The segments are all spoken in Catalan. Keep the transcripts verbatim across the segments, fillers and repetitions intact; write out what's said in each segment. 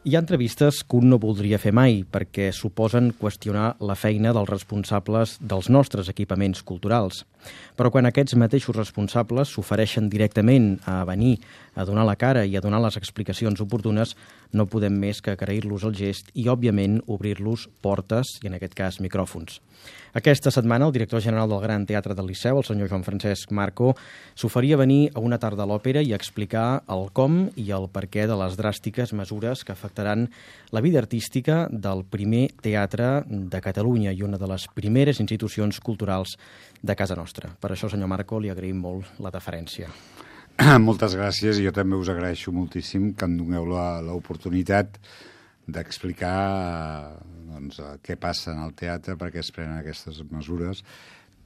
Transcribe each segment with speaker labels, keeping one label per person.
Speaker 1: Hi ha entrevistes que un no voldria fer mai perquè suposen qüestionar la feina dels responsables dels nostres equipaments culturals. Però quan aquests mateixos responsables s'ofereixen directament a venir a donar la cara i a donar les explicacions oportunes, no podem més que agrair-los el gest i, òbviament, obrir-los portes i, en aquest cas, micròfons. Aquesta setmana, el director general del Gran Teatre del Liceu, el senyor Joan Francesc Marco, s'oferia a venir a una tarda a l'òpera i a explicar el com i el perquè de les dràstiques mesures que afectaran la vida artística del primer teatre de Catalunya i una de les primeres institucions culturals de casa nostra. Per això, senyor Marco, li agraïm molt la deferència.
Speaker 2: Moltes gràcies, i jo també us agraeixo moltíssim que em doneu l'oportunitat d'explicar doncs, què passa en el teatre, per què es prenen aquestes mesures.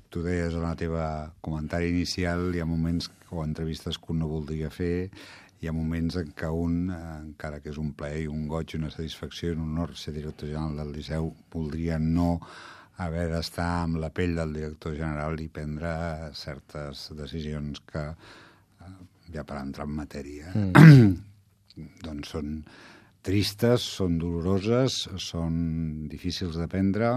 Speaker 2: Tu deies en la teva comentari inicial, hi ha moments o entrevistes que un no voldria fer, hi ha moments en què un, encara que és un plaer i un goig, una satisfacció i un honor ser director general del Liceu, voldria no haver d'estar amb la pell del director general i prendre certes decisions que, ja per entrar en matèria, mm. doncs són tristes, són doloroses, són difícils de prendre,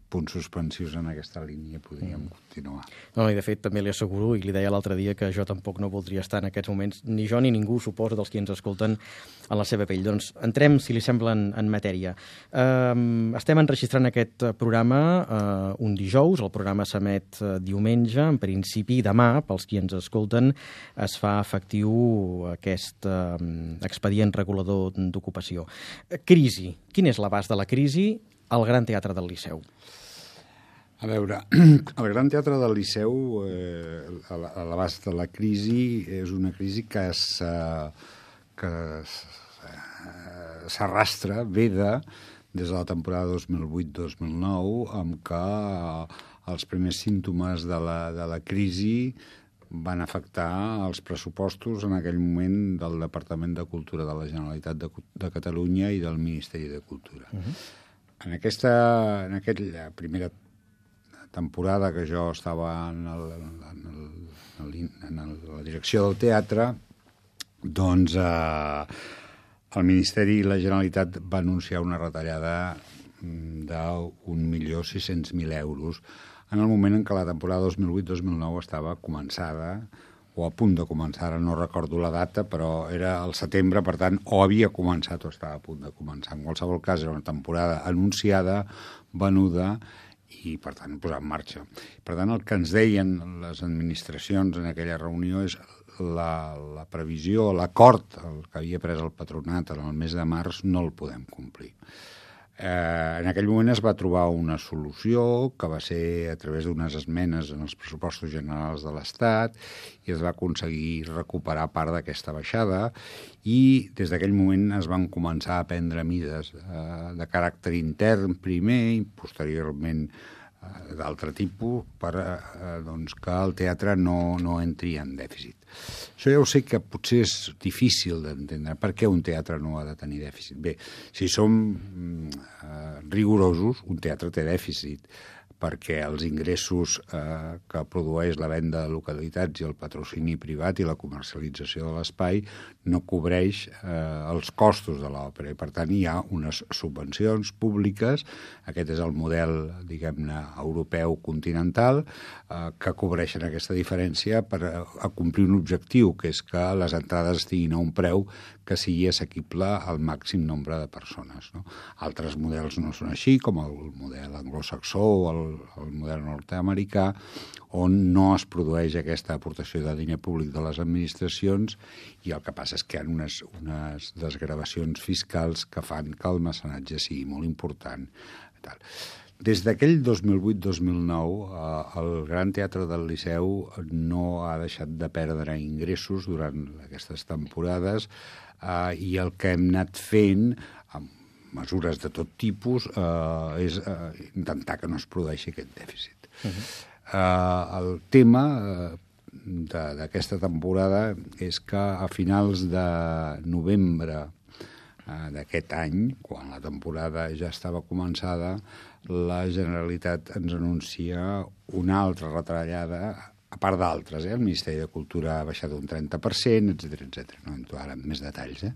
Speaker 2: punts suspensius en aquesta línia podríem mm. continuar.
Speaker 1: No, i de fet també li asseguro, i li deia l'altre dia, que jo tampoc no voldria estar en aquests moments, ni jo ni ningú, suposo, dels qui ens escolten en la seva pell. Doncs entrem, si li sembla, en, en matèria. Uh, estem enregistrant aquest programa uh, un dijous, el programa s'emet uh, diumenge, en principi demà, pels qui ens escolten, es fa efectiu aquest uh, expedient regulador d'ocupació. Crisi. Quin és l'abast de la crisi al Gran Teatre del Liceu?
Speaker 2: A veure, el Gran Teatre del Liceu, eh, a l'abast de la crisi, és una crisi que s'arrastra, veda, des de la temporada dos mil vuit dos mil nou, amb què els primers símptomes de la, de la crisi van afectar els pressupostos en aquell moment del Departament de Cultura de la Generalitat de, de Catalunya i del Ministeri de Cultura. Uh-huh. En aquesta en aquella primera temporada que jo estava en, el, en, el, en el, la direcció del teatre, doncs eh, el Ministeri i la Generalitat va anunciar una retallada d'un milió sis-cents mil euros en el moment en què la temporada dos mil vuit dos mil nou estava començada, o a punt de començar, ara no recordo la data, però era al setembre, per tant, o havia començat o estava a punt de començar. En qualsevol cas, era una temporada anunciada, venuda, i, per tant, posar en marxa. Per tant, el que ens deien les administracions en aquella reunió és la, la previsió, l'acord que havia pres el patronat en el mes de març, no el podem complir. Eh, en aquell moment es va trobar una solució que va ser a través d'unes esmenes en els pressupostos generals de l'Estat i es va aconseguir recuperar part d'aquesta baixada i des d'aquell moment es van començar a prendre mides eh, de caràcter intern primer i posteriorment eh, d'altre tipus per eh, doncs, que el teatre no, no entri en dèficit. Això ja ho sé que potser és difícil d'entendre. Per què un teatre no ha de tenir dèficit? Bé, si som eh, rigorosos, un teatre té dèficit, perquè els ingressos eh, que produeix la venda de localitats i el patrocini privat i la comercialització de l'espai no cobreix eh, els costos de l'òpera. I, per tant, hi ha unes subvencions públiques, aquest és el model, diguem-ne, europeu continental, eh, que cobreixen aquesta diferència per a, a complir un objectiu, que és que les entrades estiguin a un preu que sigui assequible al màxim nombre de persones. No? Altres models no són així, com el model anglosaxó o el, el model nord-americà, on no es produeix aquesta aportació de diner públic de les administracions i el que passa és que hi ha unes, unes desgravacions fiscals que fan que el mecenatge sigui molt important. Tal. Des d'aquell dos mil vuit dos mil nou, eh, el Gran Teatre del Liceu no ha deixat de perdre ingressos durant aquestes temporades eh, i el que hem anat fent amb mesures de tot tipus eh, és eh, intentar que no es produeixi aquest dèficit. Uh-huh. eh, el tema eh, d'aquesta temporada és que a finals de novembre eh, d'aquest any, quan la temporada ja estava començada, la Generalitat ens anuncia una altra retallada, a part d'altres, eh? El Ministeri de Cultura ha baixat un trenta per cent, etcètera, etcètera. No entro ara en més detalls, eh?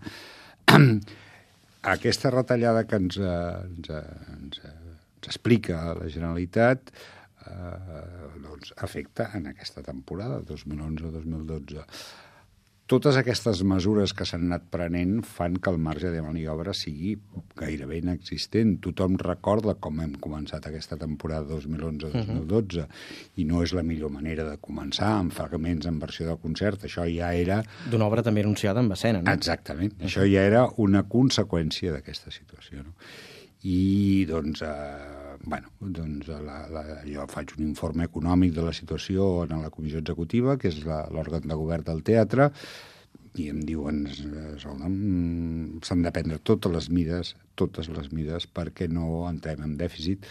Speaker 2: aquesta retallada que ens, ens, ens, ens explica la Generalitat eh, doncs afecta en aquesta temporada, dos mil onze dos mil dotze. Totes aquestes mesures que s'han anat prenent fan que el marge de maniobra sigui gairebé inexistent. Tothom recorda com hem començat aquesta temporada dos mil onze dos mil dotze uh-huh. i no és la millor manera de començar amb fragments en versió de concert. Això ja era...
Speaker 1: D'una obra també anunciada en escena, no?
Speaker 2: Exactament. Uh-huh. Això ja era una conseqüència d'aquesta situació, no? I, doncs, eh, bueno, doncs la, la, jo faig un informe econòmic de la situació en la comissió executiva, que és l'òrgan de govern del teatre, i em diuen s'han de prendre totes les mides, totes les mides perquè no entrem en dèficit.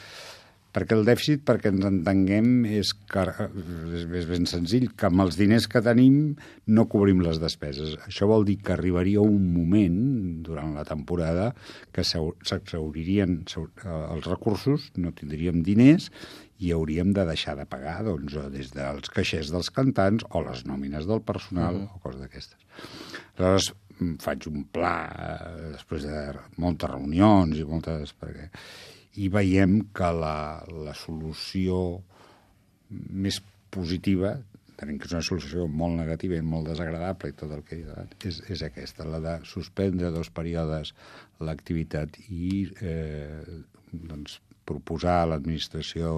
Speaker 2: Perquè el dèficit, perquè ens entenguem, és, que, és ben senzill, que amb els diners que tenim no cobrim les despeses. Això vol dir que arribaria un moment, durant la temporada, que s'exhauririen els recursos, no tindríem diners i hauríem de deixar de pagar doncs, des dels caixers dels cantants o les nòmines del personal uh-huh. o coses d'aquestes. Aleshores, faig un pla, després de moltes reunions i moltes... Perquè... i veiem que la, la solució més positiva, tenim que és una solució molt negativa i molt desagradable i tot el que he dit, és, és aquesta, la de suspendre dos períodes l'activitat i eh, doncs, proposar a l'administració,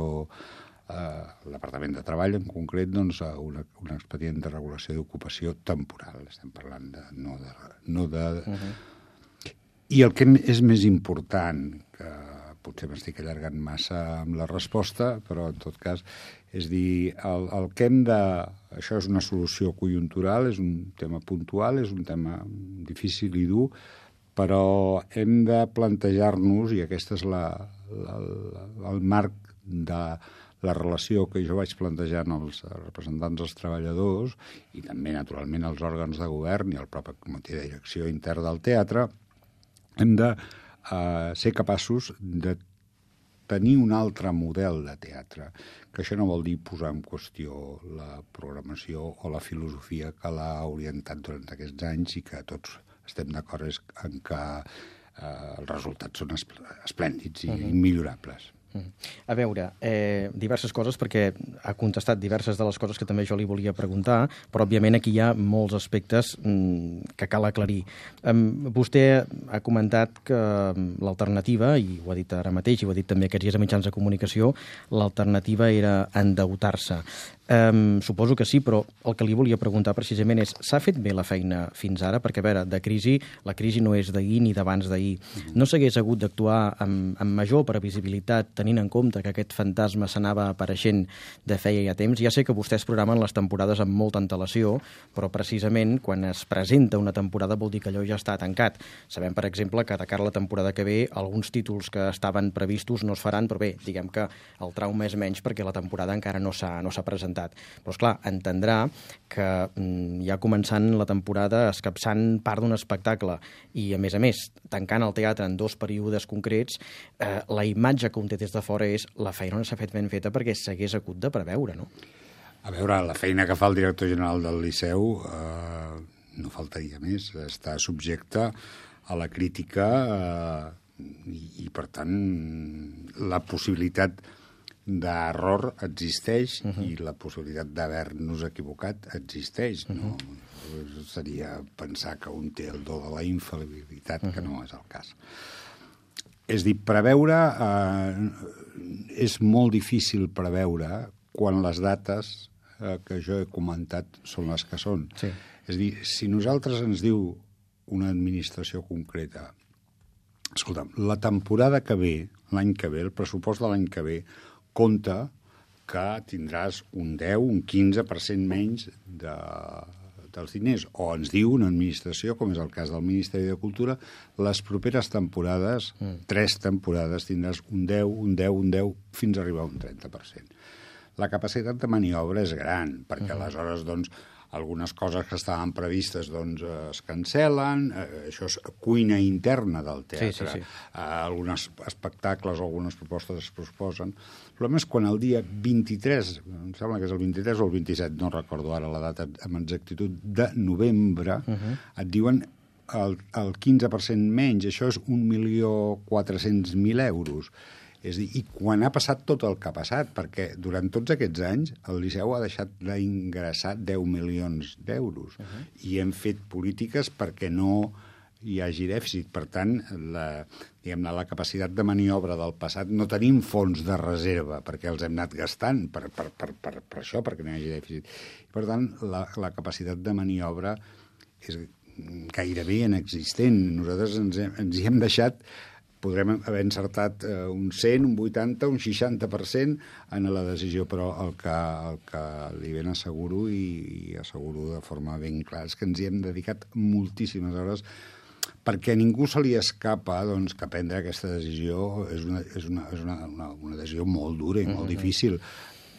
Speaker 2: eh, l'Apartament de Treball en concret, doncs, una, un expedient de regulació d'ocupació temporal. Estem parlant de... no de... No de... Uh-huh. I el que és més important, que potser m'estic allargant massa amb la resposta, però en tot cas, és dir, el, el que hem de... Això és una solució conjuntural, és un tema puntual, és un tema difícil i dur, però hem de plantejar-nos, i aquest és la, la, la, el marc de la relació que jo vaig plantejant als representants dels treballadors i també, naturalment, als òrgans de govern i al propi comitè de direcció intern del teatre, hem de Uh, ser capaços de tenir un altre model de teatre, que això no vol dir posar en qüestió la programació o la filosofia que l'ha orientat durant aquests anys i que tots estem d'acord en que uh, els resultats són esplèndids i uh-huh. immillorables.
Speaker 1: A veure, eh, diverses coses, perquè ha contestat diverses de les coses que també jo li volia preguntar, però òbviament aquí hi ha molts aspectes mm, que cal aclarir. Um, vostè ha comentat que l'alternativa, i ho ha dit ara mateix, i ho ha dit també aquests dies a mitjans de comunicació, l'alternativa era endeutar-se. Um, suposo que sí, però el que li volia preguntar precisament és, s'ha fet bé la feina fins ara? Perquè, a veure, de crisi, la crisi no és d'ahir ni d'abans d'ahir. No s'hagués hagut d'actuar amb, amb major previsibilitat, tenint en compte que aquest fantasma s'anava apareixent de feia ja temps? Ja sé que vostès programen les temporades amb molta antelació, però precisament quan es presenta una temporada vol dir que allò ja està tancat. Sabem, per exemple, que de cara a la temporada que ve alguns títols que estaven previstos no es faran, però bé, diguem que el trauma és menys perquè la temporada encara no s'ha no s'ha presentat. Però, esclar, entendrà que ja començant la temporada, escapçant part d'un espectacle i, a més a més, tancant el teatre en dos períodes concrets, eh, la imatge que un té des de fora és la feina no s'ha fet ben feta perquè s'hagués hagut de preveure, no?
Speaker 2: A veure, la feina que fa el director general del Liceu eh, no faltaria més. Està subjecte a la crítica eh, i, i, per tant, la possibilitat d'error existeix uh-huh. i la possibilitat d'haver-nos equivocat existeix. Uh-huh. No? Seria pensar que un té el do de la infal·libilitat, uh-huh. que no és el cas. És dir, preveure... Eh, és molt difícil preveure quan les dates eh, que jo he comentat són les que són.
Speaker 1: Sí.
Speaker 2: És dir, si nosaltres ens diu una administració concreta, escolta'm, la temporada que ve, l'any que ve, el pressupost de l'any que ve, compta que tindràs un deu, un quinze per cent menys de, dels diners. O ens diu una administració, com és el cas del Ministeri de Cultura, les properes temporades, mm. tres temporades, tindràs un deu, un deu, un deu, fins a arribar a un trenta per cent. La capacitat de maniobra és gran, perquè mm. aleshores, doncs, algunes coses que estaven previstes doncs, es cancel·len, eh, això és cuina interna del teatre. Sí, sí, sí. Eh, alguns espectacles o algunes propostes es proposen. El problema és quan el dia vint-i-tres, em sembla que és el vint-i-tres o el vint-i-set, no recordo ara la data amb exactitud, de novembre, uh-huh. et diuen el, el quinze per cent menys, això és un milió quatre-cents mil euros. És a dir, i quan ha passat tot el que ha passat, perquè durant tots aquests anys el Liceu ha deixat d'ingressar deu milions d'euros uh-huh. i hem fet polítiques perquè no hi hagi dèficit. Per tant, la, diguem-ne, la capacitat de maniobra del passat, no tenim fons de reserva perquè els hem anat gastant per, per, per, per, per això, perquè no hi hagi dèficit. I, per tant, la, la capacitat de maniobra és gairebé inexistent. Nosaltres ens, hem, ens hi hem deixat... podrem haver encertat eh, un cent, un vuitanta, un seixanta per cent en la decisió, però el que, el que li ben asseguro i, i asseguro de forma ben clara és que ens hi hem dedicat moltíssimes hores perquè a ningú se li escapa doncs, que prendre aquesta decisió és una, és una, és una, una, una decisió molt dura i molt mm-hmm. difícil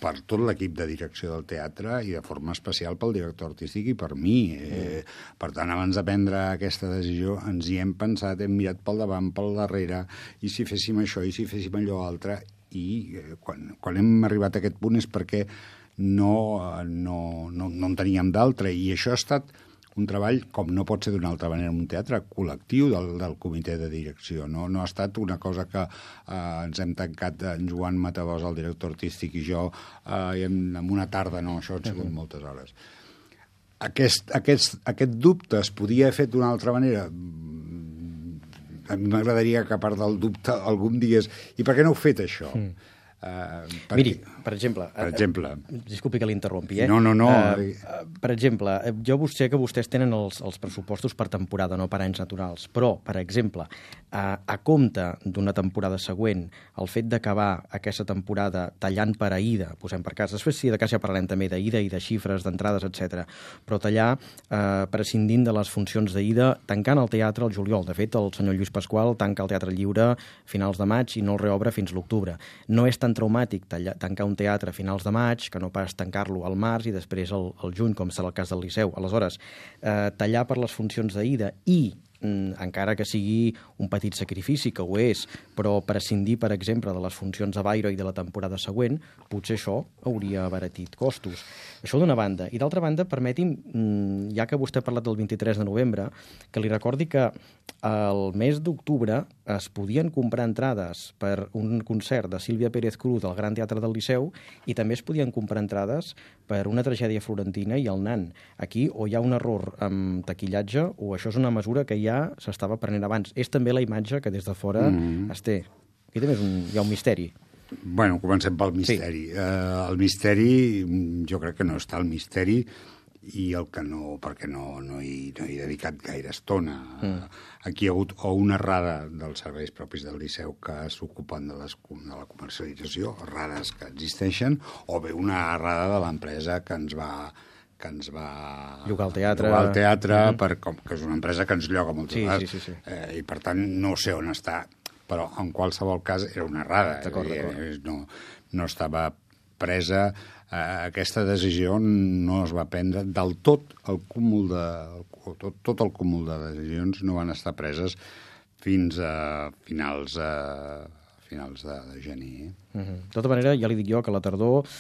Speaker 2: per tot l'equip de direcció del teatre i de forma especial pel director artístic i per mi. Eh, per tant, abans de prendre aquesta decisió ens hi hem pensat, hem mirat pel davant, pel darrere, i si féssim això, i si féssim allò altre, i eh, quan, quan hem arribat a aquest punt és perquè no, no, no, no en teníem d'altre, i això ha estat un treball, com no pot ser d'una altra manera, un teatre col·lectiu del, del comitè de direcció. No, no ha estat una cosa que eh, ens hem tancat en Joan Matabós, el director artístic, i jo eh, en, en una tarda, no, això han sigut uh-huh. moltes hores. Aquest, aquest, aquest dubte es podia haver fet d'una altra manera? A mi m'agradaria que, a part del dubte, algú em digués i per què no heu fet això? Mm.
Speaker 1: Uh, per Miri, per exemple...
Speaker 2: Per exemple...
Speaker 1: Uh, disculpi que l'interrompi, eh?
Speaker 2: No, no, no.
Speaker 1: Uh, uh, per exemple, jo sé que vostès tenen els, els pressupostos per temporada, no per anys naturals, però, per exemple, uh, a compte d'una temporada següent, el fet d'acabar aquesta temporada tallant per Aïda, posem per cas, després sí, de cas ja parlarem també d'Aïda i de xifres, d'entrades, etcètera, però tallar, uh, prescindint de les funcions d'Aïda, tancant el teatre al juliol. De fet, el senyor Lluís Pasqual tanca el Teatre Lliure a finals de maig i no el reobre fins l'octubre. No és tan traumàtic tallar, tancar un teatre a finals de maig que no pas tancar-lo al març i després al, al juny, com serà el cas del Liceu. Aleshores, eh, tallar per les funcions d'Aïda i encara que sigui un petit sacrifici, que ho és, però prescindir, per exemple, de les funcions de Bayreuth i de la temporada següent, potser això hauria abaratit costos. Això d'una banda. I d'altra banda, permeti'm, ja que vostè ha parlat del vint-i-tres de novembre, que li recordi que el mes d'octubre es podien comprar entrades per un concert de Sílvia Pérez Cruz al Gran Teatre del Liceu i també es podien comprar entrades per una tragèdia florentina i el Nan. Aquí o hi ha un error amb taquillatge o això és una mesura que ja s'estava prenent abans. És també la imatge que des de fora mm. es té. Aquí també és un, hi ha un misteri.
Speaker 2: Bueno, comencem pel misteri. Sí. Uh, el misteri, jo crec que no està el misteri i el que no, perquè no, no, hi, no hi he dedicat gaire estona. Mm. Aquí hi ha hagut o una errada dels serveis propis del Liceu que s'ocupen de, les, de la comercialització, errades que existeixen, o bé una errada de l'empresa que ens va que ens va
Speaker 1: llogar el teatre,
Speaker 2: llogar el teatre mm-hmm. per, com, que és una empresa que ens lloga moltes
Speaker 1: sí,
Speaker 2: vegades,
Speaker 1: sí, sí, sí.
Speaker 2: Eh, i per tant no sé on està, però en qualsevol cas era una errada.
Speaker 1: D'acord,
Speaker 2: eh,
Speaker 1: d'acord.
Speaker 2: No, no estava presa, eh, aquesta decisió no es va prendre del tot el cúmul de, el, tot, tot el cúmul de decisions no van estar preses fins a finals, a, finals de, de gener.
Speaker 1: Mm-hmm. De tota manera, ja li dic jo que a la tardor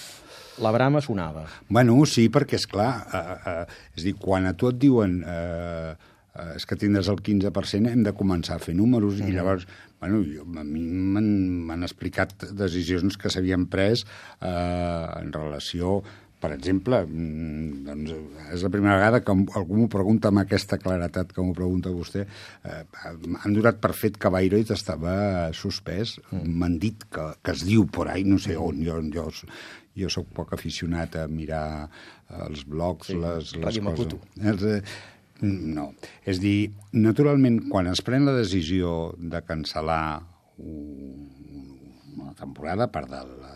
Speaker 1: la brama sonava.
Speaker 2: Bueno, sí, perquè, esclar, eh, eh, és a dir, quan a tu et diuen eh, eh, és que tindràs el quinze per cent, hem de començar a fer números, mm. i llavors, bueno, jo, a mi m'han explicat decisions que s'havien pres eh, en relació, per exemple, doncs és la primera vegada que algú m'ho pregunta amb aquesta claretat que m'ho pregunta vostè, eh, han donat per fet que Bayreuth estava suspès, mm. m'han dit que, que es diu por ahí, no sé on, jo, jo, jo sóc poc aficionat a mirar els blogs, sí, les, les coses. Els, eh, no, és dir, naturalment, quan es pren la decisió de cancel·lar una temporada, a part de la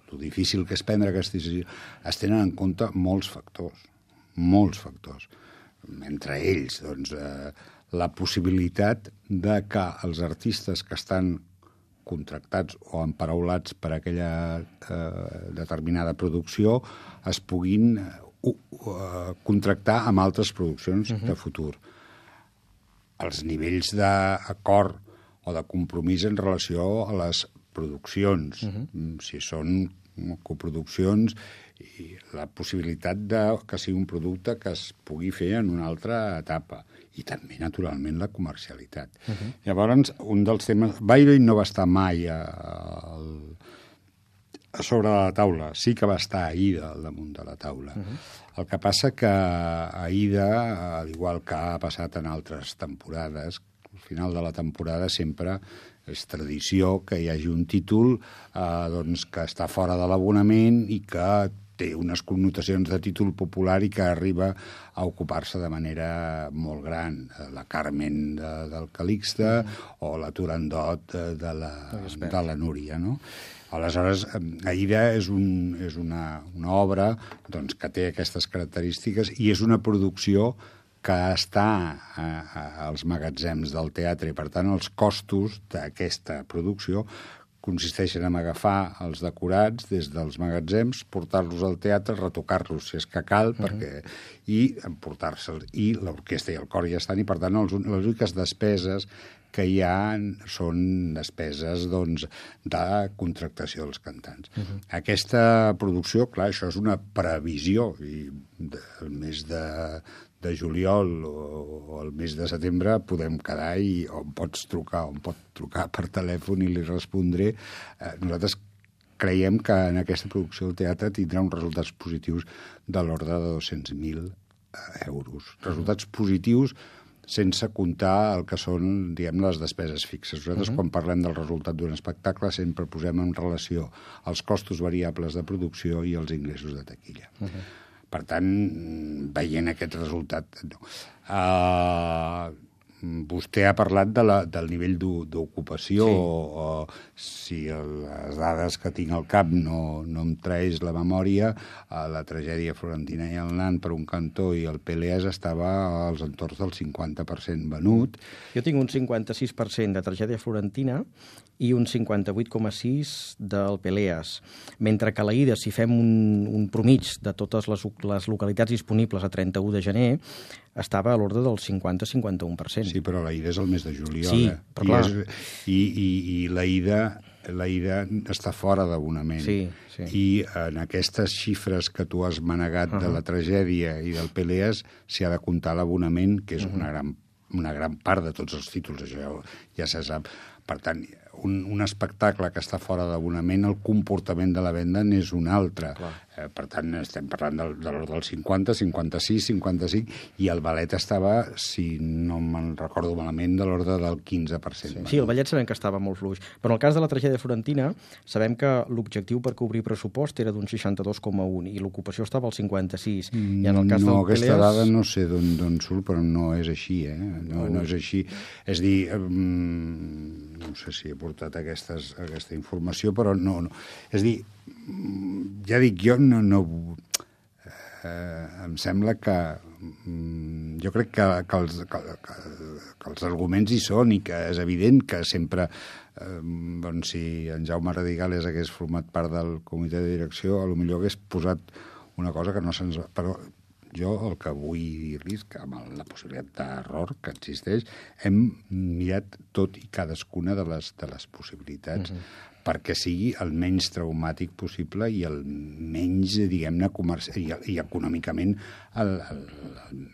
Speaker 2: lo difícil que és prendre aquesta decisió, es tenen en compte molts factors, molts factors. Entre ells, doncs, eh, la possibilitat de que els artistes que estan contractats o emparaulats per aquella eh, determinada producció es puguin uh, uh, contractar amb altres produccions uh-huh. de futur. Els nivells d'acord o de compromís en relació a les produccions, uh-huh. si són coproduccions, i la possibilitat de que sigui un producte que es pugui fer en una altra etapa. I també, naturalment, la comercialitat. Uh-huh. Llavors, un dels temes... Bayreuth no va estar mai a, a, a sobre de la taula. Sí que va estar Aida al damunt de la taula. Uh-huh. El que passa que Aida, al igual que ha passat en altres temporades, al final de la temporada sempre és tradició que hi hagi un títol eh, doncs, que està fora de l'abonament i que té unes connotacions de títol popular i que arriba a ocupar-se de manera molt gran. La Carmen de, del Calixte mm. o la Turandot de, de, la, de la Núria, no? Aleshores, Aida és, un, és una, una obra doncs, que té aquestes característiques i és una producció que està a, a, als magatzems del teatre i, per tant, els costos d'aquesta producció consisteixen en agafar els decorats des dels magatzems, portar-los al teatre, retocar-los, si és que cal, uh-huh. perquè, i emportar-se'ls. I l'orquestra i el cor ja estan, i, per tant, els, les úniques despeses que hi ha són despeses doncs, de contractació dels cantants. Uh-huh. Aquesta producció, clar, això és una previsió, i el mes de, de juliol o, o el mes de setembre podem quedar i o em pots trucar o em pot trucar per telèfon i li respondré. Eh, nosaltres creiem que en aquesta producció del teatre tindrà uns resultats positius de l'ordre de dos-cents mil euros. Resultats positius sense comptar el que són, diguem, les despeses fixes. Nosaltres, uh-huh. quan parlem del resultat d'un espectacle, sempre posem en relació els costos variables de producció i els ingressos de taquilla. Uh-huh. Per tant, veient aquest resultat... No. Uh, vostè ha parlat de la, del nivell d'ocupació, sí. o, o si les dades que tinc al cap no, no em traeix la memòria, la tragèdia florentina i el nan per un cantó i el Peleas estava als entorns del cinquanta per cent venut.
Speaker 1: Jo tinc un cinquanta-sis per cent de tragèdia florentina i un cinquanta-vuit coma sis del Peleas, mentre que a l'Aida, si fem un, un promig de totes les, les localitats disponibles a trenta-u de gener, estava a l'ordre del cinquanta a cinquanta-un per cent.
Speaker 2: Sí, però l'Aida és el mes de juliol.
Speaker 1: Sí,
Speaker 2: eh?
Speaker 1: però
Speaker 2: I
Speaker 1: clar...
Speaker 2: És, i, i, i l'Aida, l'Aida està fora d'abonament.
Speaker 1: Sí, sí.
Speaker 2: I en aquestes xifres que tu has manegat uh-huh. de la tragèdia i del Peleas s'hi ha de comptar l'abonament, que és uh-huh. una, gran, una gran part de tots els títols, això ja, ja se sap. Per tant, un, un espectacle que està fora d'abonament, el comportament de la venda n'és un altre. Eh, per tant, estem parlant del, de l'ordre del cinquanta, cinquanta-sis, cinquanta-cinc, i el ballet estava, si no me'n recordo malament, de l'ordre del quinze per cent.
Speaker 1: Sí, sí, el ballet sabem que estava molt fluix. Però en el cas de la tragèdia florentina, sabem que l'objectiu per cobrir pressupost era d'un seixanta-dos coma un i l'ocupació estava al cinquanta-sis. I en el cas
Speaker 2: no,
Speaker 1: del
Speaker 2: aquesta
Speaker 1: Peleas...
Speaker 2: dada no sé d'on surt, però no és així, eh? No, no és així. És dir... Um, no sé si he portat aquestes, aquesta informació, però no, no. És dir, ja dic, jo no... no eh, em sembla que... Jo crec que, que, els, que, que, que els arguments hi són i que és evident que sempre... Eh, doncs si en Jaume Radigales hagués format part del comitè de direcció, potser hagués posat una cosa que no se'ns... Però jo el que vull dir-li és que amb la possibilitat d'error que existeix hem mirat tot i cadascuna de les, de les possibilitats uh-huh. perquè sigui el menys traumàtic possible i el menys, diguem-ne, comerci... i, i econòmicament el, el,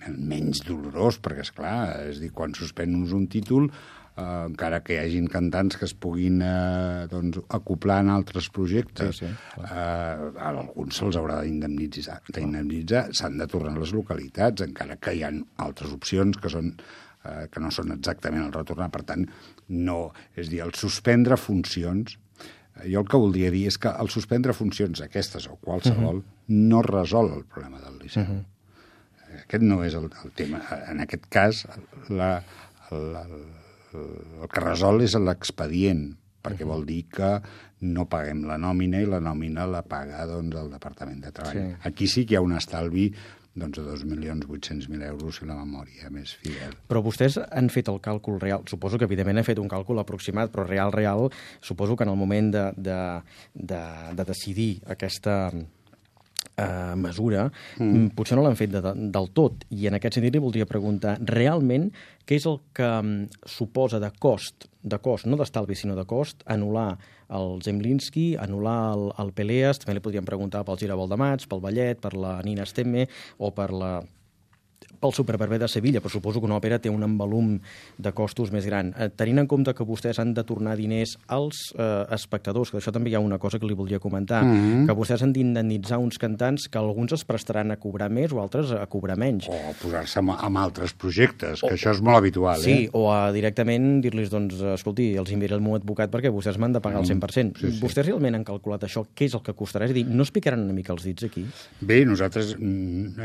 Speaker 2: el menys dolorós, perquè, esclar, és dir, quan suspens un títol, eh, encara que hi hagin cantants que es puguin eh, doncs, acoplar en altres projectes, sí, sí, eh, a alguns se'ls haurà d'indemnitzar, d'indemnitzar, s'han de tornar a les localitats, encara que hi ha altres opcions que són eh, que no són exactament el retornar. Per tant, no, és dir, el suspendre funcions, jo el que voldria dir és que el suspendre funcions aquestes o qualsevol uh-huh. no resol el problema del Liceu. Uh-huh. Aquest no és el, el tema. En aquest cas, la, la, el que resol és l'expedient, perquè uh-huh. vol dir que no paguem la nòmina i la nòmina la paga doncs, el Departament de Treball. Sí. Aquí sí que hi ha un estalvi doncs, de dos milions vuit-cents mil euros si la memòria més fidel.
Speaker 1: Però vostès han fet el càlcul real. Suposo que, evidentment, han fet un càlcul aproximat, però real, real, suposo que en el moment de, de, de, de decidir aquesta, Uh, mesura, mm. potser no l'han fet de, de, del tot. I en aquest sentit li voldria preguntar, realment, què és el que um, suposa de cost, de cost, no d'estalvi, sinó de cost, anul·lar el Zemlinsky, anul·lar el, el Peleas, també li podríem preguntar pel Giravolt de Mats, pel Ballet, per la Nina Stemme o per la pel Superbarbé de Sevilla, però suposo que una òpera té un envolum de costos més gran. Eh, tenint en compte que vostès han de tornar diners als eh, espectadors, que d'això també hi ha una cosa que li voldria comentar, mm-hmm. que vostès han d'indemnitzar uns cantants que alguns es prestaran a cobrar més o altres a cobrar menys.
Speaker 2: O a posar-se amb, amb altres projectes, que o, això és molt habitual.
Speaker 1: Sí,
Speaker 2: eh?
Speaker 1: o a directament dir-los, doncs, escolti, els enviaré el meu advocat perquè vostès m'han de pagar el cent per cent. Mm, sí, sí. Vostès realment han calculat això? Què és el que costarà? És a dir, no es picaran una mica els dits aquí?
Speaker 2: Bé, nosaltres,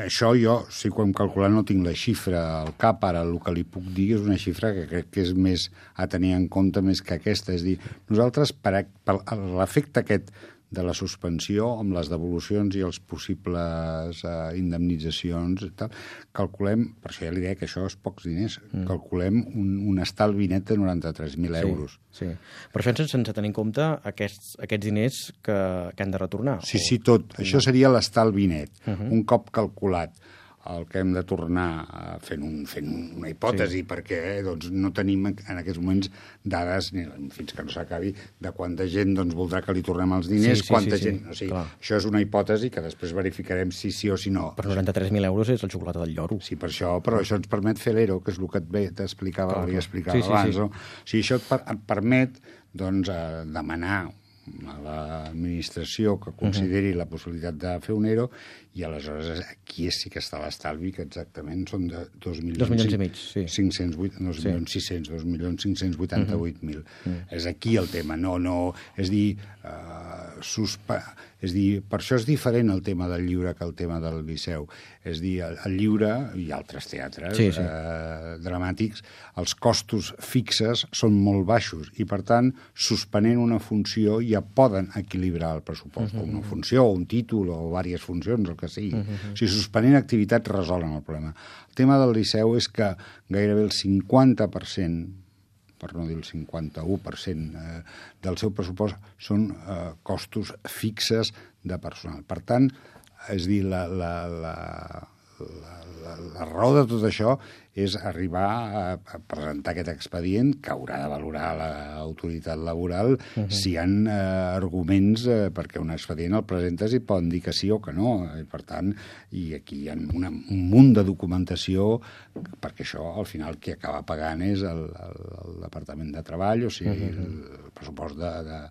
Speaker 2: això jo, si ho hem calculat, no tinc la xifra al cap, ara el que li puc dir és una xifra que crec que és més a tenir en compte més que aquesta. És a dir, nosaltres, per, per l'efecte aquest de la suspensió, amb les devolucions i els possibles eh, indemnitzacions i tal, calculem, per això ja li deia que això és pocs diners, mm. calculem un, un estalvi net de noranta-tres mil euros.
Speaker 1: Sí, sí. Però això sense tenir en compte aquests, aquests diners que, que han de retornar.
Speaker 2: Sí,
Speaker 1: o...
Speaker 2: sí, tot. Mm. Això seria l'estalvi net. Uh -huh. Un cop calculat el que hem de tornar fent, un, fent una hipòtesi, sí. perquè eh, doncs, no tenim en aquests moments dades, ni, fins que no s'acabi, de quanta gent doncs, voldrà que li tornem els diners, sí, sí, quanta sí, gent... Sí, o sigui, això és una hipòtesi que després verificarem si sí o si no.
Speaker 1: Per noranta-tres mil euros és el xocolata del lloro.
Speaker 2: Sí, per això, però això ens permet fer l'E R O, que és el que t'explicava, li explicava
Speaker 1: sí, sí,
Speaker 2: abans.
Speaker 1: sí.
Speaker 2: No? O sigui, això et, per, et permet doncs, eh, demanar a l'administració que consideri uh -huh. la possibilitat de fer un E R O i aleshores aquí sí que està l'estalvi, que exactament són de dos milions,
Speaker 1: dos milions i mig, sí.
Speaker 2: cinc-cents, dos milions sis-cents, dos milions cinc-cents vuitanta-vuit mil. Uh -huh. És aquí el tema, no, no, és dir, uh, suspa... és dir, per això és diferent el tema del lliure que el tema del Liceu. És dir, el, el lliure i altres teatres sí, sí. Eh, dramàtics, els costos fixes són molt baixos i, per tant, suspenent una funció ja poden equilibrar el pressupost, uh -huh. o una funció, o un títol, o diverses funcions, el que sigui. Uh -huh. O sigui, suspenent activitats resolen el problema. El tema del Liceu és que gairebé el cinquanta per cent per no dir el cinquanta-u per cent eh, del seu pressupost són eh, costos fixes de personal. Per tant, és dir, la, la, la, la, la, la raó de tot això és arribar a, a presentar aquest expedient que haurà de valorar l'autoritat laboral uh -huh. si hi ha eh, arguments eh, perquè un expedient el presentes i poden dir que sí o que no. I, per tant, i aquí hi ha una, un munt de documentació perquè això, al final, qui acaba pagant és el, el, el Departament de Treball, o sigui, uh -huh. el, el pressupost de... de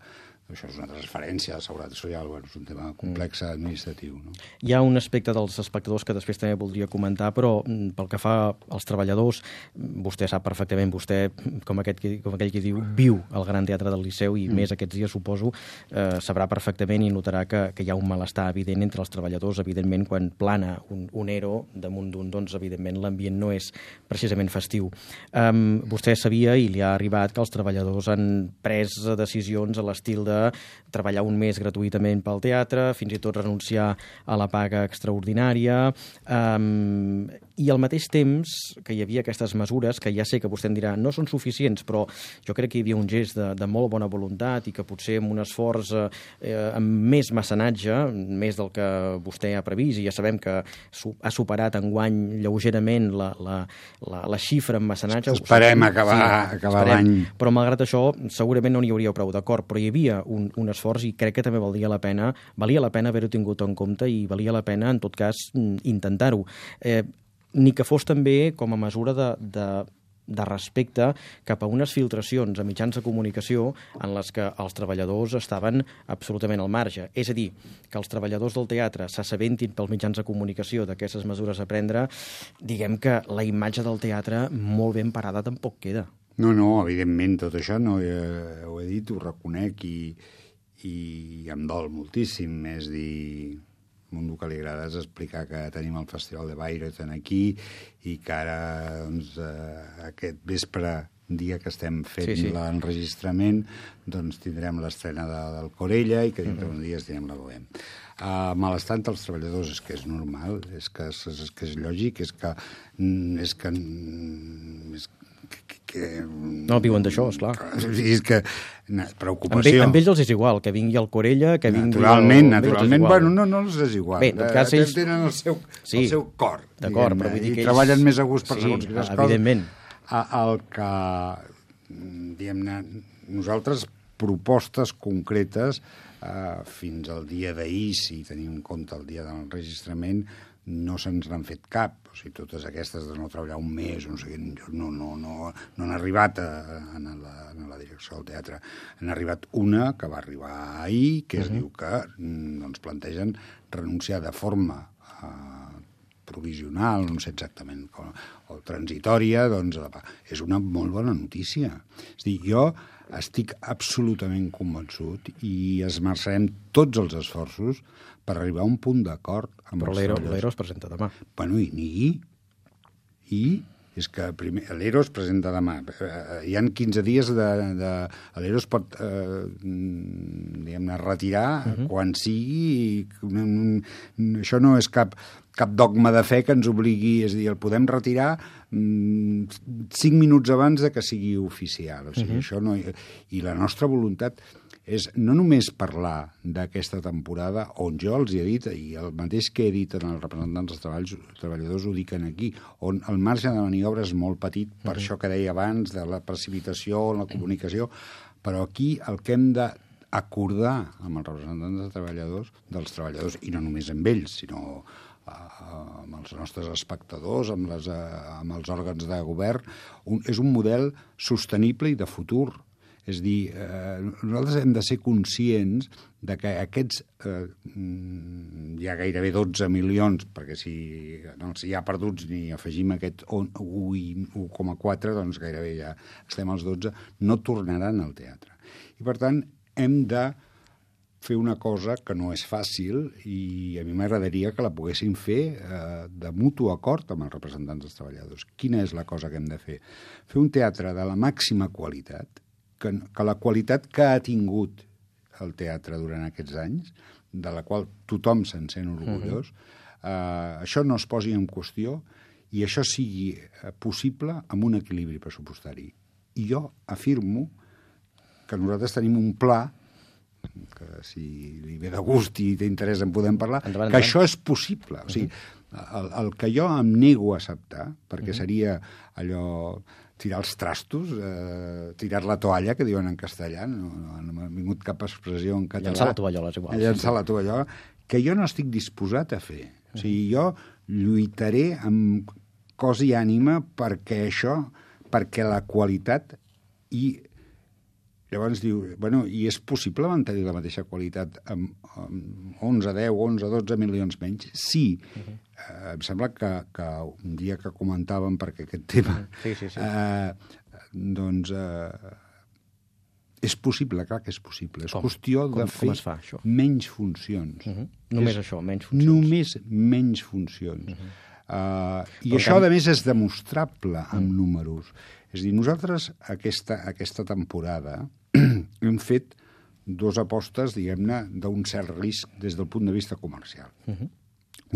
Speaker 2: això és una transferència de seguretat social, bueno, és un tema complex administratiu. No?
Speaker 1: Hi ha un aspecte dels espectadors que després també voldria comentar, però pel que fa als treballadors, vostè sap perfectament, vostè, com, aquest, com aquell que diu, viu al Gran Teatre del Liceu i mm. més aquests dies, suposo, eh, sabrà perfectament i notarà que, que hi ha un malestar evident entre els treballadors. Evidentment, quan plana un, un E R O damunt d'un, doncs, evidentment, l'ambient no és precisament festiu. Um, vostè sabia, i li ha arribat, que els treballadors han pres decisions a l'estil de treballar un mes gratuïtament pel teatre, fins i tot renunciar a la paga extraordinària, um, i al mateix temps que hi havia aquestes mesures, que ja sé que vostè em dirà no són suficients, però jo crec que hi havia un gest de, de molt bona voluntat i que potser amb un esforç eh, amb més mecenatge, més del que vostè ha previst, i ja sabem que su ha superat enguany lleugerament la, la, la, la xifra en mecenatge.
Speaker 2: Esperem acabar, sí, acabar l'any.
Speaker 1: Però malgrat això, segurament no n'hi hauria prou, d'acord, però hi havia un, un esforç i crec que també valia la pena, valia la pena haver-ho tingut en compte i valia la pena, en tot cas, intentar-ho. Eh, ni que fos també com a mesura de, de, de respecte cap a unes filtracions a mitjans de comunicació en les que els treballadors estaven absolutament al marge. És a dir, que els treballadors del teatre s'assabentin pels mitjans de comunicació d'aquestes mesures a prendre, diguem que la imatge del teatre molt ben parada tampoc queda.
Speaker 2: No, no, evidentment, tot això no, eh, ho he dit, ho reconec i, i em dol moltíssim. És dir, a un que li agrada és explicar que tenim el Festival de Bayreuth aquí i que ara, doncs, eh, aquest vespre, dia que estem fent sí, sí. l'enregistrament, doncs tindrem l'estrena de, del Corella i que dintre uh -huh. uns dies tindrem la Bohème. Uh, malestant als treballadors és que és normal, és que és, és, que és lògic, és que, és que és que...
Speaker 1: No, viuen d'això, esclar.
Speaker 2: És que... Preocupació.
Speaker 1: Amb, amb ells els és igual, que vingui el Corella, que vingui...
Speaker 2: Naturalment, el... naturalment. Bueno, no, no els és igual.
Speaker 1: Bé, en tot cas, ells...
Speaker 2: Tenen el seu,
Speaker 1: sí,
Speaker 2: el seu cor.
Speaker 1: D'acord, però vull dir que
Speaker 2: ells...
Speaker 1: ells...
Speaker 2: treballen més a gust per
Speaker 1: sí,
Speaker 2: segons quines coses.
Speaker 1: Evidentment.
Speaker 2: El que, diguem-ne, nosaltres propostes concretes eh, fins al dia d'ahir, si tenim en compte el dia del registrament, no se'ns n'han fet cap. O sigui, totes aquestes de no treballar un mes, no sé, no, no, no, no han arribat a, a, la, a la direcció del teatre. Han arribat una que va arribar ahir, que es uh-huh. diu que doncs, plantegen renunciar de forma eh, provisional, no sé exactament, com, o transitòria, doncs és una molt bona notícia. És a dir, jo estic absolutament convençut i esmerçarem tots els esforços per arribar a un punt d'acord amb
Speaker 1: Però
Speaker 2: els
Speaker 1: l'Ero,
Speaker 2: treballadors.
Speaker 1: l'Ero es presenta demà.
Speaker 2: Bueno, i ni... I és que primer, l'Ero es presenta demà. Hi han quinze dies de... de l'Ero es pot, eh, diguem-ne, retirar uh-huh. quan sigui. I, això no és cap, cap dogma de fe que ens obligui, és a dir, el podem retirar mm, cinc minuts abans de que sigui oficial. O sigui, uh-huh. això no... I la nostra voluntat és no només parlar d'aquesta temporada on jo els he dit, i el mateix que he dit en els representants dels treballs, treballadors ho dic aquí, on el marge de maniobra és molt petit, per uh-huh. això que deia abans, de la precipitació, la comunicació, però aquí el que hem d'acordar amb els representants de treballadors, dels treballadors, i no només amb ells, sinó amb els nostres espectadors, amb, les, amb els òrgans de govern, un, és un model sostenible i de futur. És dir, eh, nosaltres hem de ser conscients de que aquests, eh, hi ha gairebé dotze milions, perquè si no els hi ha perduts ni afegim aquest un coma quatre, doncs gairebé ja estem als dotze, no tornaran al teatre. I per tant, hem de fer una cosa que no és fàcil i a mi m'agradaria que la poguéssim fer eh, de mutu acord amb els representants dels treballadors. Quina és la cosa que hem de fer? Fer un teatre de la màxima qualitat, que, que la qualitat que ha tingut el teatre durant aquests anys, de la qual tothom se'n sent orgullós, uh-huh. eh, això no es posi en qüestió i això sigui possible amb un equilibri pressupostari. I jo afirmo que nosaltres tenim un pla que si li ve de gust i té interès en podem parlar, endavant, que endavant. Això és possible. O sigui, el, el que jo em nego a acceptar, perquè uh-huh. seria allò tirar els trastos, eh, tirar la toalla, que diuen en castellà, no, no, no m'ha vingut cap expressió en català.
Speaker 1: Llançar la tovallola, és igual.
Speaker 2: Llançar la tovallola, que jo no estic disposat a fer. O sigui, jo lluitaré amb cos i ànima perquè això, perquè la qualitat i llavors diu, bueno, i és possible mantenir la mateixa qualitat amb, amb onze, deu, onze, dotze milions menys? Sí. Uh-huh. Eh, em sembla que, que un dia que comentàvem, perquè aquest tema...
Speaker 1: Sí, sí, sí.
Speaker 2: Eh, doncs... Eh, és possible, clar que és possible. És
Speaker 1: com?
Speaker 2: qüestió de
Speaker 1: com,
Speaker 2: fer
Speaker 1: com es fa, això?
Speaker 2: menys funcions.
Speaker 1: Uh-huh. Només
Speaker 2: és,
Speaker 1: això, menys funcions.
Speaker 2: Només menys funcions. Uh-huh. Uh, I
Speaker 1: Però
Speaker 2: això,
Speaker 1: tant...
Speaker 2: a més, és demostrable amb uh-huh. números. És a dir, nosaltres aquesta, aquesta temporada hem fet dues apostes, diguem-ne, d'un cert risc des del punt de vista comercial. Uh-huh.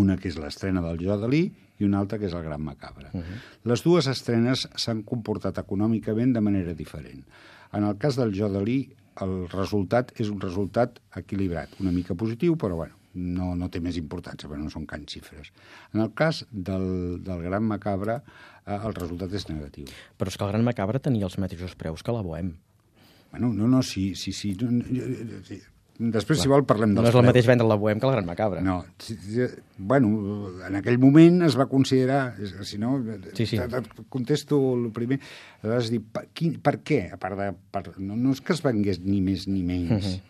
Speaker 2: Una que és l'estrena del Jo Dalí i una altra que és el Gran Macabre. Uh-huh. Les dues estrenes s'han comportat econòmicament de manera diferent. En el cas del Jo Dalí, el resultat és un resultat equilibrat, una mica positiu, però bueno, no, no té més importància, perquè no són can xifres. En el cas del, del Gran Macabre, eh, el resultat és negatiu.
Speaker 1: Però és que el Gran Macabre tenia els mateixos preus que la Bohème.
Speaker 2: Bueno, no, no, sí, sí, sí. sí. Després, clar, si vol, parlem dels
Speaker 1: preus. No és el mateix vendre la Bohème que el Gran Macabre.
Speaker 2: No. Si, si, bueno, en aquell moment es va considerar, si no,
Speaker 1: sí, sí.
Speaker 2: contesto el primer, vas dir, per, quin, per què? A part de, per, no, no és que es vengués ni més ni menys. Uh-huh.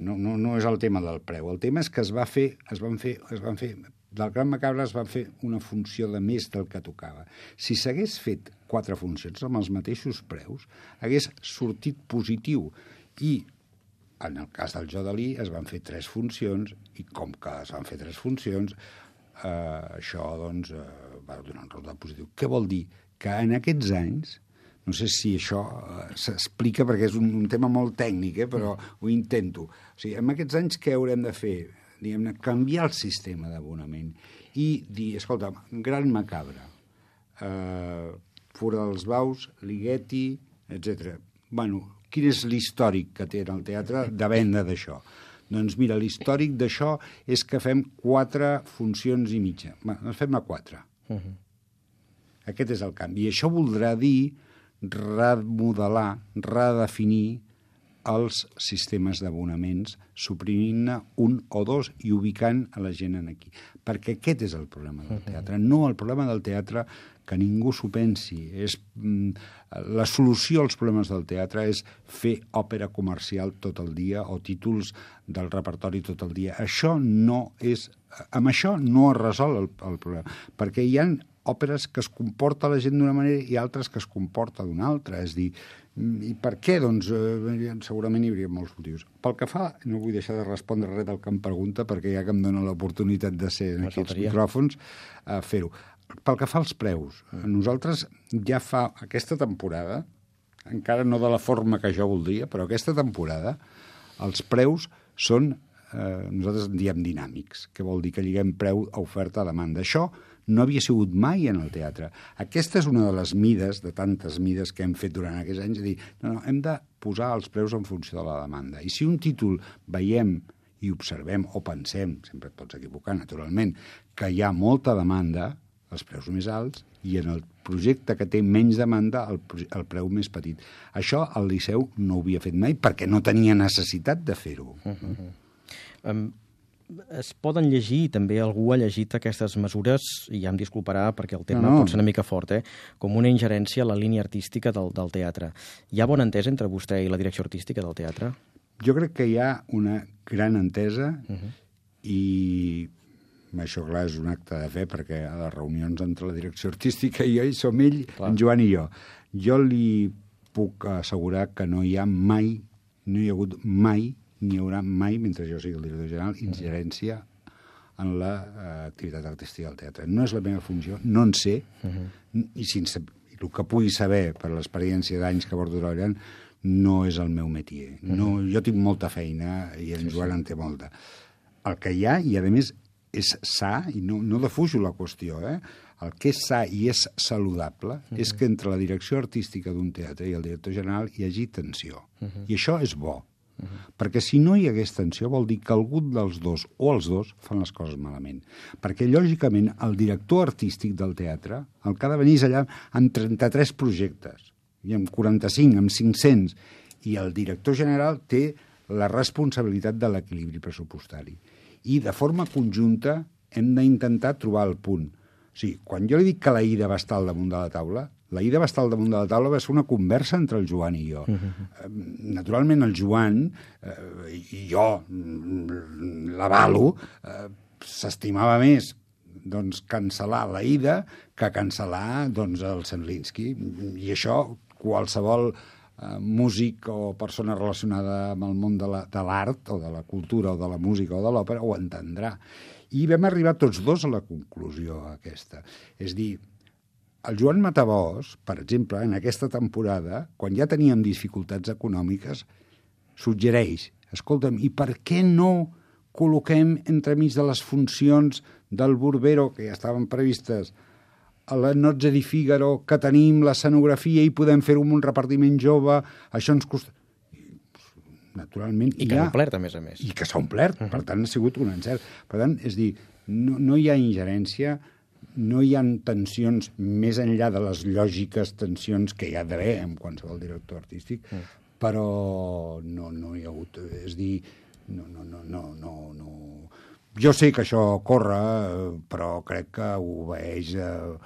Speaker 2: No, no, no és el tema del preu. El tema és que es va fer, es van fer, es van fer, del Gran Macabre es van fer una funció de més del que tocava. Si s'hagués fet quatre funcions amb els mateixos preus, hagués sortit positiu. I en el cas del Jo Dalí es van fer tres funcions i com que es van fer tres funcions, eh, això doncs, eh, va donar un resultat positiu. Què vol dir? Que en aquests anys, no sé si això eh, s'explica perquè és un, un tema molt tècnic, eh, però ho intento. O sigui, en aquests anys què haurem de fer? Diguem-ne, canviar el sistema d'abonament i dir, escolta, Gran Macabre, eh, Fora dels Baus, Ligeti, etcètera. Bueno, quin és l'històric que té el teatre de venda d'això? Doncs mira, l'històric d'això és que fem quatre funcions i mitja. Bé, doncs fem a quatre. Uh-huh. Aquest és el canvi. I això voldrà dir remodelar, redefinir els sistemes d'abonaments, suprimint-ne un o dos i ubicant a la gent aquí. Perquè aquest és el problema del teatre. No el problema del teatre, que ningú s'ho pensi. És, mm, la solució als problemes del teatre és fer òpera comercial tot el dia o títols del repertori tot el dia. Això no és... Amb això no es resol el, el problema. Perquè hi ha òperes que es comporta la gent d'una manera i altres que es comporta d'una altra. És dir, i per què? Doncs eh, segurament hi hauria molts motius. Pel que fa, no vull deixar de respondre res del que em pregunta, perquè ja que em dona l'oportunitat de ser en aquests micròfons, eh, fer-ho. Pel que fa als preus, nosaltres ja fa aquesta temporada, encara no de la forma que jo voldria, però aquesta temporada, els preus són, eh, nosaltres en diem dinàmics, que vol dir que lliguem preu a oferta a demanda. Això no havia sigut mai en el teatre. Aquesta és una de les mides, de tantes mides que hem fet durant aquests anys, de dir, no, no, hem de posar els preus en funció de la demanda. I si un títol veiem i observem o pensem, sempre et pots equivocar, naturalment, que hi ha molta demanda, els preus més alts, i en el projecte que té menys demanda, el, el preu més petit. Això el Liceu no ho havia fet mai perquè no tenia necessitat de fer-ho. Uh -huh.
Speaker 1: um, es poden llegir, també algú ha llegit aquestes mesures, i ja em disculparà perquè el tema no, no. pot ser una mica fort, eh? com una ingerència a la línia artística del, del teatre. Hi ha bona entesa entre vostè i la direcció artística del teatre?
Speaker 2: Jo crec que hi ha una gran entesa uh -huh. i... Això, clar, és un acte de fe, perquè a les reunions entre la direcció artística i jo hi som ell, clar. En Joan i jo. Jo li puc assegurar que no hi ha mai, no hi ha hagut mai, ni hi haurà mai, mentre jo sigui el director general, ingerència en l'activitat uh, artística del teatre. No és la meva funció, no en sé, uh -huh. i sense el que pugui saber per l'experiència d'anys que porto treballant, no és el meu métier. No, uh -huh. Jo tinc molta feina i en sí, Joan sí. en té molta. El que hi ha, i a més és sa, i no, no defujo la qüestió, eh? El que és sa i és saludable uh -huh. és que entre la direcció artística d'un teatre i el director general hi hagi tensió. Uh -huh. I això és bo. Uh -huh. Perquè si no hi hagués tensió vol dir que algú dels dos o els dos fan les coses malament. Perquè, lògicament, el director artístic del teatre, el que ha de venir és allà amb trenta-tres projectes, i amb quaranta-cinc, amb cinc-cents, i el director general té la responsabilitat de l'equilibri pressupostari. I de forma conjunta hem d'intentar trobar el punt. O sigui, quan jo li dic que la Ida va estar al damunt de la taula, la Ida va estar al damunt de la taula, va ser una conversa entre el Joan i jo. Uh-huh. Naturalment, el Joan eh, i jo, l'avalo, eh, s'estimava més doncs, cancel·lar la Ida que cancel·lar doncs, el Sendlinski. I això qualsevol músic o persona relacionada amb el món de l'art o de la cultura o de la música o de l'òpera ho entendrà. I vam arribar tots dos a la conclusió aquesta. És dir, el Joan Matabós, per exemple, en aquesta temporada, quan ja teníem dificultats econòmiques, suggereix, escolta'm, i per què no col·loquem entremig de les funcions del Burbero, que ja estaven previstes, a la Nozze di Figaro, que tenim l'escenografia i podem fer-ho amb un repartiment jove, això ens costa... Naturalment...
Speaker 1: I que ha omplert, a més a més.
Speaker 2: I que s'ha omplert, uh -huh. per tant, ha sigut un encert. Per tant, és dir, no, no hi ha ingerència, no hi ha tensions més enllà de les lògiques tensions que hi ha d'haver en qualsevol director artístic, uh -huh. però no, no hi ha hagut... És dir, no, no, no, no, no, no... Jo sé que això corre, però crec que obeeix a...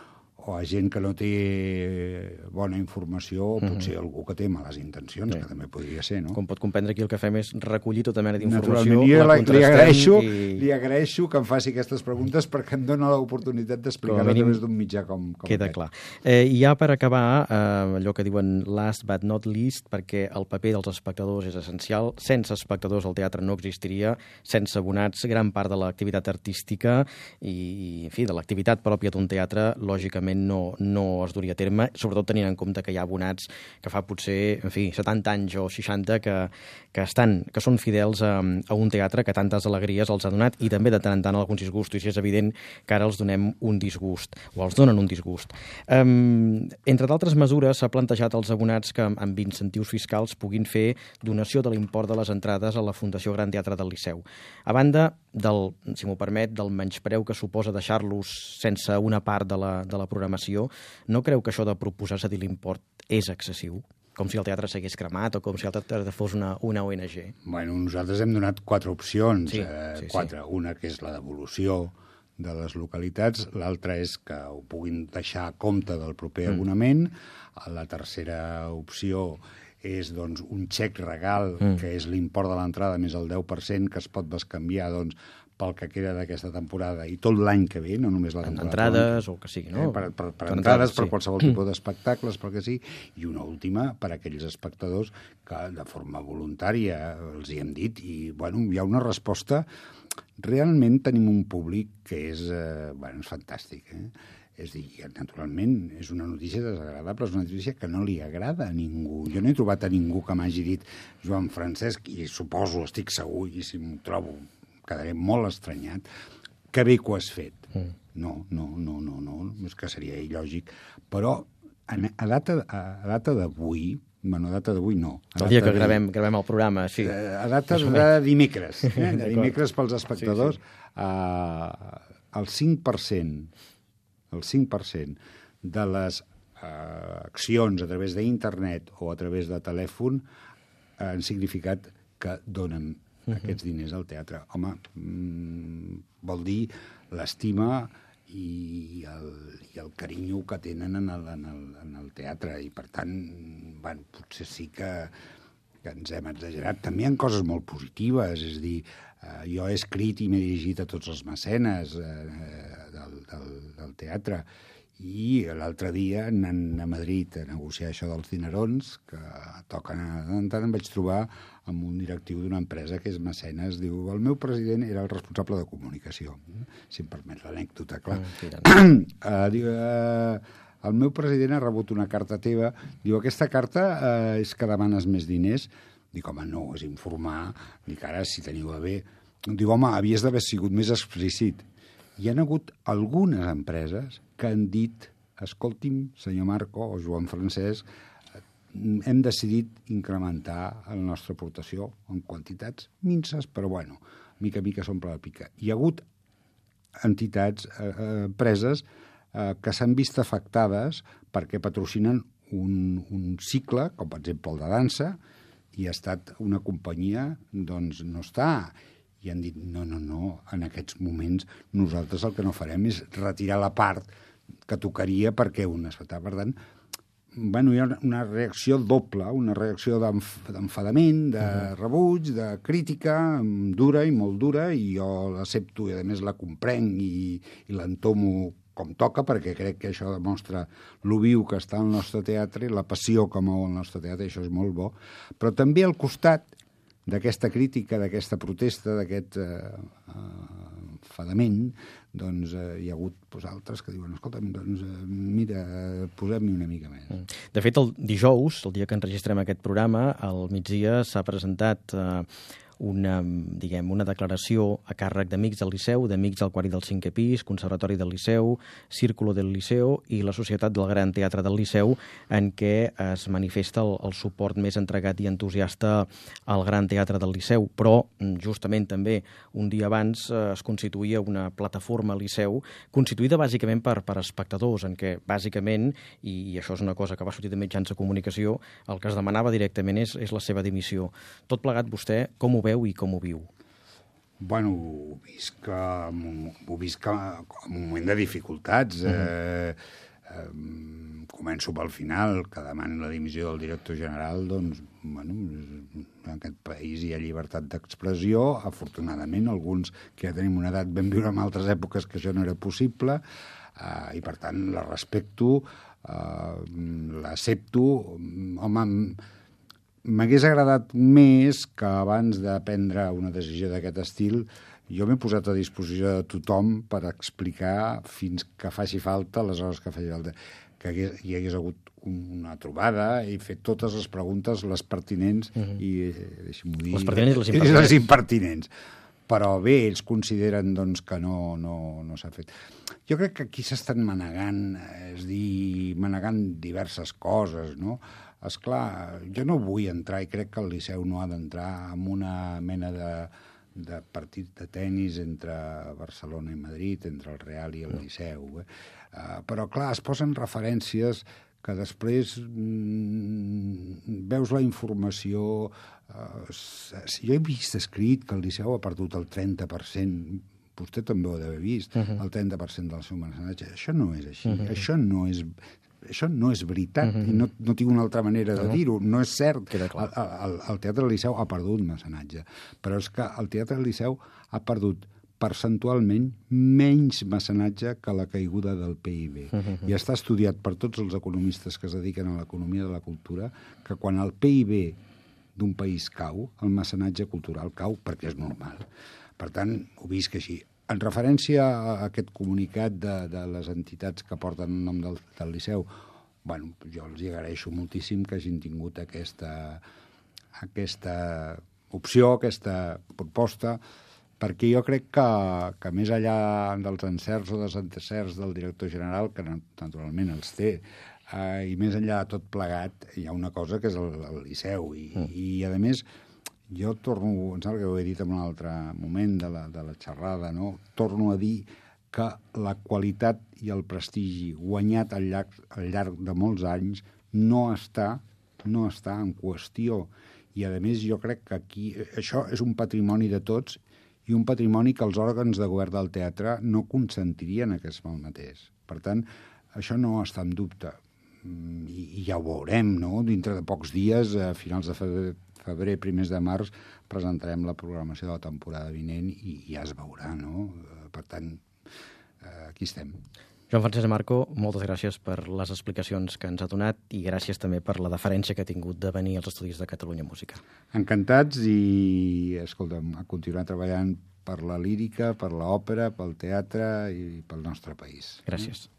Speaker 2: o a gent que no té bona informació, o potser uh -huh. algú que té males intencions, sí. que també podria ser, no?
Speaker 1: Com pot comprendre, aquí el que fem és recollir tota mena d'informació,
Speaker 2: la contrastem i... Li agraeixo que em faci aquestes preguntes perquè em dona l'oportunitat d'explicar-ho a través d'un mitjà com, com
Speaker 1: queda
Speaker 2: aquest.
Speaker 1: clar. Eh, I ja per acabar, eh, allò que diuen last but not least, perquè el paper dels espectadors és essencial. Sense espectadors el teatre no existiria, sense abonats gran part de l'activitat artística i, en fi, de l'activitat pròpia d'un teatre, lògicament, segurament no, no es duria a terme, sobretot tenint en compte que hi ha abonats que fa potser, en fi, setanta anys o seixanta que, que, estan, que són fidels a, a un teatre que tantes alegries els ha donat i també de tant en tant alguns disgustos, i és evident que ara els donem un disgust, o els donen un disgust. Um, entre d'altres mesures, s'ha plantejat als abonats que amb incentius fiscals puguin fer donació de l'import de les entrades a la Fundació Gran Teatre del Liceu. A banda del, si m'ho permet, del menyspreu que suposa deixar-los sense una part de la, de la programació, no creu que això de proposar cedir l'import és excessiu? Com si el teatre s'hagués cremat o com si el teatre fos una, una O N G?
Speaker 2: Bueno, nosaltres hem donat quatre opcions.
Speaker 1: Sí,
Speaker 2: eh,
Speaker 1: sí,
Speaker 2: quatre.
Speaker 1: Sí.
Speaker 2: Una que és la devolució de les localitats, l'altra és que ho puguin deixar a compte del proper mm. abonament, la tercera opció és doncs, un xec regal, mm. que és l'import de l'entrada més el deu per cent, que es pot bescanviar doncs, pel que queda d'aquesta temporada i tot l'any que ve, no només la temporada.
Speaker 1: Entrades o el que sigui, no?
Speaker 2: Eh, per, per, per
Speaker 1: entrades,
Speaker 2: entrades, per
Speaker 1: sí.
Speaker 2: qualsevol tipus d'espectacles, per que sí. I una última per a aquells espectadors que de forma voluntària els hi hem dit. I bueno, hi ha una resposta. Realment tenim un públic que és, eh, bueno, és fantàstic, eh? És a dir, naturalment, és una notícia desagradable, és una notícia que no li agrada a ningú. Jo no he trobat a ningú que m'hagi dit Joan Francesc, i suposo, estic segur, i si m'ho trobo, quedaré molt estranyat, que bé que ho has fet. Mm. No, no, no, no, no, és que seria il·lògic. Però a, a data, a data d'avui, bueno, a data d'avui no.
Speaker 1: El dia que gravem, gravem el programa, sí.
Speaker 2: A data de dimecres, eh? de dimecres pels espectadors, sí, sí. Uh, el cinc per cent el cinc per cent de les uh, accions a través d'internet o a través de telèfon han significat que donen uh-huh. aquests diners al teatre. Home, mm, vol dir l'estima i el, i el carinyo que tenen en el, en, el, en el teatre, i per tant, bueno, potser sí que, que ens hem exagerat. També hi ha coses molt positives, és a dir, eh, jo he escrit i m'he dirigit a tots els mecenes eh, del, del, del teatre, i l'altre dia, anant a Madrid a negociar això dels dinerons, que toquen a tant, tant, em vaig trobar amb un directiu d'una empresa que és mecenes, diu, el meu president era el responsable de comunicació, si em permet l'anècdota, clar. Mm, uh, diu, uh, el meu president ha rebut una carta teva, diu, aquesta carta uh, és que demanes més diners? Dic, home, no, és informar, dic, ara, si teniu a bé. Diu, home, havies d'haver sigut més explícit. Hi ha hagut algunes empreses que han dit, escolti'm, senyor Marco o Joan Francesc, hem decidit incrementar la nostra aportació en quantitats minces, però bueno, mica a mica s'omple la pica. Hi ha hagut entitats, eh, empreses, eh, que s'han vist afectades perquè patrocinen un, un cicle, com per exemple el de dansa, i ha estat una companyia, doncs no està. I han dit, no, no, no, en aquests moments nosaltres el que no farem és retirar la part que tocaria perquè un es fa. Per tant, bueno, hi ha una reacció doble, una reacció d'enfadament, de rebuig, de crítica, dura i molt dura, i jo l'accepto i a més la comprenc i, i l'entomo com toca, perquè crec que això demostra lo viu que està el nostre teatre i la passió que mou el nostre teatre, i això és molt bo. Però també al costat d'aquesta crítica, d'aquesta protesta, d'aquest eh, enfadament, doncs eh, hi ha hagut pues, altres que diuen, escolta'm, doncs eh, mira, posem-hi una mica més.
Speaker 1: De fet, el dijous, el dia que enregistrem aquest programa, al migdia s'ha presentat eh, una, diguem, una declaració a càrrec d'Amics del Liceu, d'Amics del quart i del cinquè pis, Conservatori del Liceu, Círculo del Liceu i la Societat del Gran Teatre del Liceu, en què es manifesta el, el suport més entregat i entusiasta al Gran Teatre del Liceu. Però, justament també, un dia abans eh, es constituïa una plataforma al Liceu, constituïda bàsicament per, per espectadors, en què, bàsicament, i, i això és una cosa que va sortir de mitjans de comunicació, el que es demanava directament és, és la seva dimissió. Tot plegat, vostè, com ho veu i com ho viu?
Speaker 2: Bueno, ho visc, ho visc en un moment de dificultats. Uh-huh. eh, eh, començo pel final, que demani la dimissió del director general, doncs, bueno, en aquest país hi ha llibertat d'expressió. Afortunadament, alguns que ja tenim una edat vam viure en altres èpoques que això no era possible, eh, i per tant la respecto, eh, l'accepto. Home, m'hagués agradat més que abans de prendre una decisió d'aquest estil jo m'he posat a disposició de tothom per explicar fins que faci falta, les hores que faci falta, que hagués, hi hagués hagut una trobada i fet totes les preguntes, les pertinents uh-huh. i, deixa'm-ho dir...
Speaker 1: Les pertinents i les
Speaker 2: impertinents.
Speaker 1: impertinents.
Speaker 2: Les impertinents. Però bé, ells consideren doncs, que no, no, no s'ha fet. Jo crec que aquí s'estan manegant, és dir, manegant diverses coses, no? Esclar, jo no vull entrar, i crec que el Liceu no ha d'entrar en una mena de, de partit de tennis entre Barcelona i Madrid, entre el Real i el Liceu. Eh? Uh, però, clar, es posen referències que després mm, veus la informació... Uh, jo he vist escrit que el Liceu ha perdut el trenta per cent, vostè també ho ha d'haver vist, uh-huh. el trenta per cent del seu mecenatge. Això no és així, uh-huh. això no és... Això no és veritat, uh-huh. i no, no tinc una altra manera de dir-ho, no és cert. El, el, el Teatre del Liceu ha perdut mecenatge, però és que el Teatre del Liceu ha perdut percentualment menys mecenatge que la caiguda del P I B. Uh-huh. I està estudiat per tots els economistes que es dediquen a l'economia de la cultura que quan el P I B d'un país cau, el mecenatge cultural cau perquè és normal. Per tant, ho visc així. En referència a aquest comunicat de, de les entitats que porten el nom del, del Liceu, bueno, jo els agraeixo moltíssim que hagin tingut aquesta, aquesta opció, aquesta proposta, perquè jo crec que, que més enllà dels encerts o desencerts del director general, que naturalment els té, eh, i més enllà de tot plegat, hi ha una cosa que és el, el Liceu, i, mm. i a més... Jo torno, em sembla que ho he dit en un altre moment de la, de la xerrada, no? Torno a dir que la qualitat i el prestigi guanyat al llarg, al llarg de molts anys no està, no està en qüestió. I, a més, jo crec que aquí això és un patrimoni de tots i un patrimoni que els òrgans de govern del teatre no consentirien que es malmetés. Per tant, això no està en dubte. I, i ja ho veurem, no? Dintre de pocs dies, a finals de febrer, febrer, primers de març, presentarem la programació de la temporada vinent i ja es veurà, no? Per tant, aquí estem.
Speaker 1: Joan Francesc Marco, moltes gràcies per les explicacions que ens ha donat i gràcies també per la deferència que ha tingut de venir als Estudis de Catalunya Música.
Speaker 2: Encantats i, escolta'm, a continuar treballant per la lírica, per l'òpera, pel teatre i pel nostre país.
Speaker 1: Gràcies.